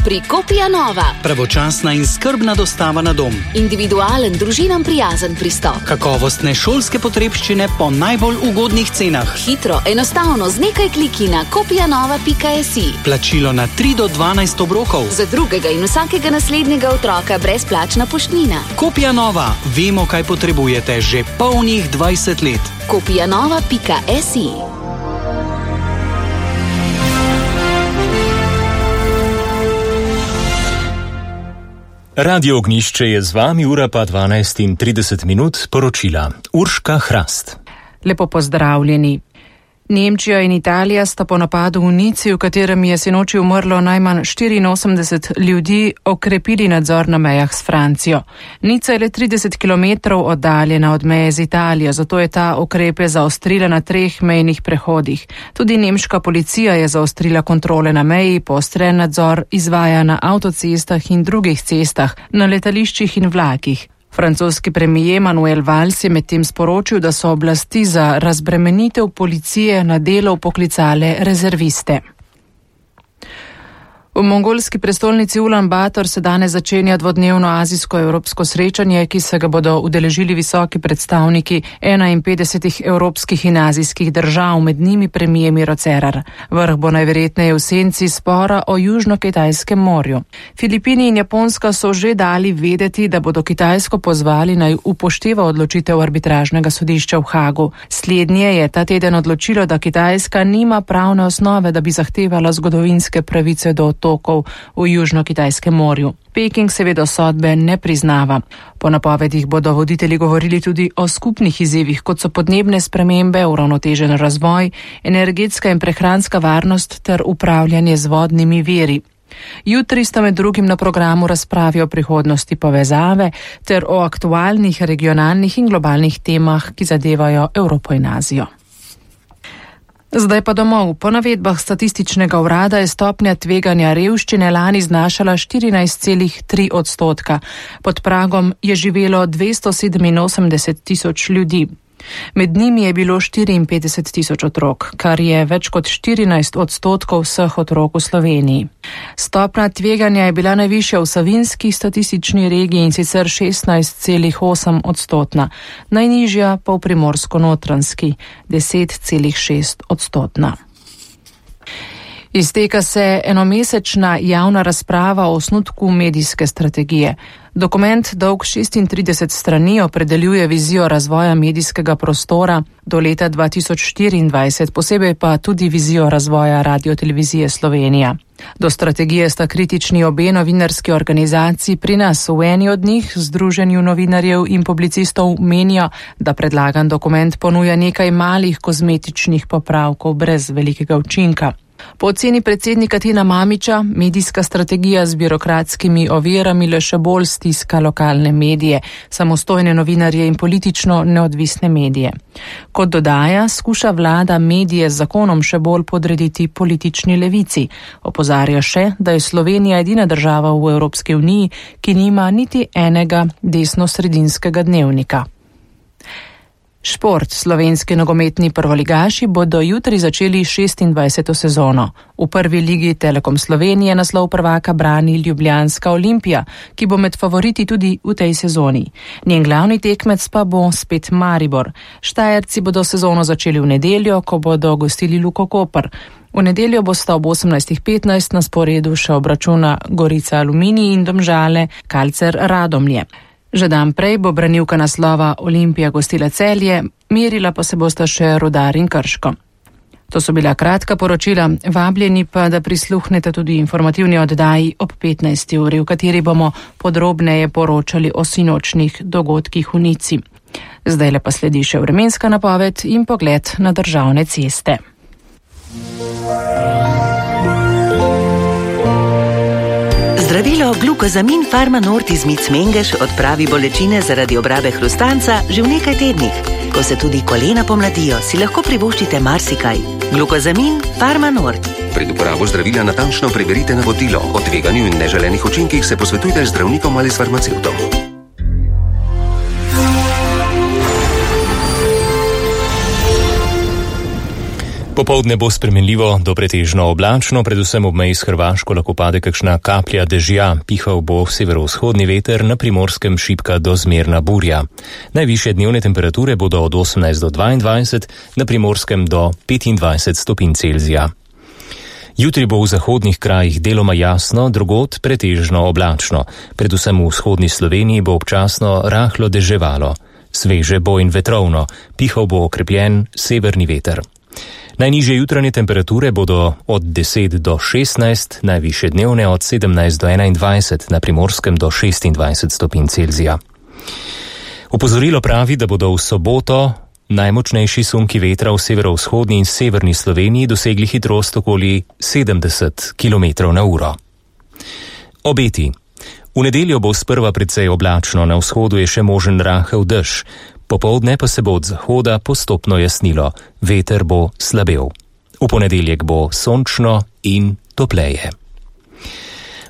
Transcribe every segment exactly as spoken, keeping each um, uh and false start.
pri Kopija Nova. Pravočasna in skrbna dostava na dom. Individualen, družinam prijazen pristop. Kakovostne šolske potrebščine po najbolj ugodnih cenah. Hitro, enostavno, z nekaj kliki na kopijanova pika si. Plačilo na tri do dvanajst obrokov. Za drugega in vsakega naslednjega otroka brezplačna poštnina. Kopija Nova. Vemo, kaj potrebujete že polnih dvajset let. kopijanova pika si. Radio Ognjišče je z vami, ura pa dvanajst in trideset minut, poročila Urška Hrast. Lepo pozdravljeni. Nemčija in Italija sta po napadu v Nici, v katerem je sinoči umrlo najmanj štiriinosemdeset ljudi, okrepili nadzor na mejah s Francijo. Nica je le trideset kilometrov oddaljena od meje z Italijo, zato je ta ukrepe zaostrila na treh mejnih prehodih. Tudi nemška policija je zaostrila kontrole na meji, poostren nadzor izvaja na avtocestah in drugih cestah, na letališčih in vlakih. Francoski premijer Manuel Valls je medtem sporočil, da so oblasti za razbremenitev policije na delo poklicale rezerviste. V mongolski prestolnici Ulan Bator se danes začenja dvodnevno azijsko-evropsko srečanje, ki se ga bodo udeležili visoki predstavniki enainpetdesetih evropskih in azijskih držav, med njimi premijer Miro Cerar. Vrh bo najverjetneje v senci spora o Južno-Kitajskem morju. Filipini in Japonska so že dali vedeti, da bodo Kitajsko pozvali naj upošteva odločitev arbitražnega sodišča v Hagu. Slednje je ta teden odločilo, da Kitajska nima pravne osnove, da bi zahtevala zgodovinske pravice do tokov v Južno-Kitajskem morju. Peking seveda sodbe ne priznava. Po napovedih bodo voditelji govorili tudi o skupnih izzivih, kot so podnebne spremembe, uravnotežen razvoj, energetska in prehranska varnost ter upravljanje z vodnimi viri. Jutri sta med drugim na programu razpravi o prihodnosti povezave ter o aktualnih regionalnih in globalnih temah, ki zadevajo Evropo in Azijo. Zdaj pa domov. Po navedbah statističnega urada je stopnja tveganja revščine lani znašala štirinajst celih tri odstotka. Pod pragom je živelo dvesto sedeminosemdeset tisoč ljudi. Med njimi je bilo štiriinpetdeset tisoč otrok, kar je več kot štirinajst odstotkov vseh otrok v Sloveniji. Stopnja tveganja je bila najvišja v savinski statistični regiji in sicer šestnajst celih osem odstotna, najnižja pa v primorsko-notranjski deset celih šest odstotna. Izteka se enomesečna javna razprava o osnutku medijske strategije. Dokument dolg šestintrideset strani opredeljuje vizijo razvoja medijskega prostora do leta dva tisoč štiriindvajset, posebej pa tudi vizijo razvoja Radiotelevizije Slovenija. Do strategije sta kritični obe novinarski organizaciji. Pri nas v eni od njih, Združenju novinarjev in publicistov, menijo, da predlagan dokument ponuja nekaj malih kozmetičnih popravkov brez velikega učinka. Po oceni predsednika Tina Mamića, medijska strategija z birokratskimi ovirami le še bolj stiska lokalne medije, samostojne novinarje in politično neodvisne medije. Kot dodaja, skuša vlada medije z zakonom še bolj podrediti politični levici. Opozarja še, da je Slovenija edina država v Evropski uniji, ki nima niti enega desnosredinskega dnevnika. Šport. Slovenski nogometni prvoligaši bodo jutri začeli šestindvajseto sezono. V prvi ligi Telekom Slovenije naslov prvaka brani ljubljanska Olimpija, ki bo med favoriti tudi v tej sezoni. Njen glavni tekmec pa bo spet Maribor. Štajerci bodo sezono začeli v nedeljo, ko bodo gostili Luko Koper. V nedeljo bosta ob osemnajst petnajst na sporedu še obračuna Gorica Aluminij in Domžale Kalcer Radomlje. Že dan prej bo branilka naslova Olimpija gostila Celje, merila pa se bosta še Rudar in Krško. To so bila kratka poročila, vabljeni pa, da prisluhnete tudi informativni oddaji ob petnajsti uri, v kateri bomo podrobneje poročali o sinočnih dogodkih v Nici. Zdaj pa sledi še vremenska napoved in pogled na državne ceste. Zdravilo Glukozamin Pharma Nord iz Mic Mengeš odpravi bolečine zaradi obrabe hrustanca že v nekaj tednih. Ko se tudi kolena pomladijo, si lahko privoščite marsikaj. Glukozamin Pharma Nord. Pred uporabo zdravila natančno preverite navodilo. O tveganju in neželenih učinkih se posvetujte z zdravnikom ali s farmacevtom. Popoldne bo spremenljivo do pretežno oblačno, predvsem ob meji s Hrvaško lahko pade kakšna kaplja dežja, pihal bo severovzhodni veter, na Primorskem šibka do zmerna burja. Najvišje dnevne temperature bodo od osemnajst do dvaindvajset, na Primorskem do petindvajset stopinj Celzija. Jutri bo v zahodnih krajih deloma jasno, drugod pretežno oblačno. Predvsem v vzhodni Sloveniji bo občasno rahlo deževalo. Sveže bo in vetrovno, pihal bo okrepljen severni veter. Najnižje jutranje temperature bodo od deset do šestnajst, najvišje dnevne od sedemnajst do enaindvajset, na Primorskem do šestindvajset stopinj Celzija. Opozorilo pravi, da bodo v soboto najmočnejši sunki vetra v severovzhodni in severni Sloveniji dosegli hitrost okoli sedemdeset kilometrov na uro. Obeti. V nedeljo bo sprva precej oblačno, na vzhodu je še možen rahel dež. Popoldne pa se bo od zahoda postopno jasnilo, veter bo slabel. V ponedeljek bo sončno in topleje.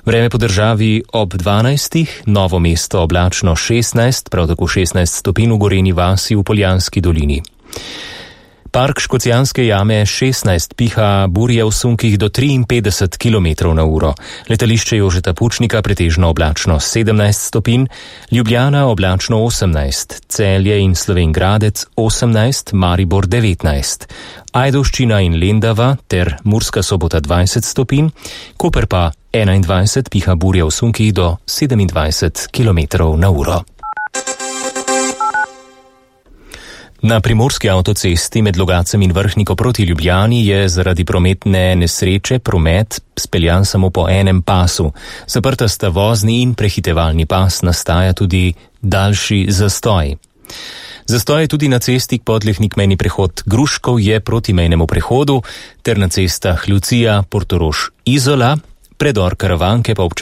Vreme po državi ob dvanajstih, Novo mesto oblačno šestnajst, prav tako šestnajst stopinj v Gorenji vasi v Poljanski dolini. Park Škocjanske jame šestnajst, piha burje v sunkih do triinpetdeset kilometrov na uro. Letališče Jožeta Pučnika pretežno oblačno sedemnajst stopinj, Ljubljana oblačno osemnajst, Celje in Slovenj Gradec osemnajst, Maribor devetnajst, Ajdovščina in Lendava ter Murska Sobota dvajset stopinj, Koper pa enaindvajset, piha burje v sunkih do sedemindvajset kilometrov na uro. Na primorski avtocesti med Logacem in Vrhniko proti Ljubljani je zaradi prometne nesreče promet speljan samo po enem pasu. Zaprta sta vozni in prehitevalni pas, nastaja tudi daljši zastoj. Zastoj je tudi na cesti Podlehnik mejni prehod Gruškov je proti mejnemu prehodu ter na cestah Lucija, Portorož, Izola, predor Karavanke pa občasno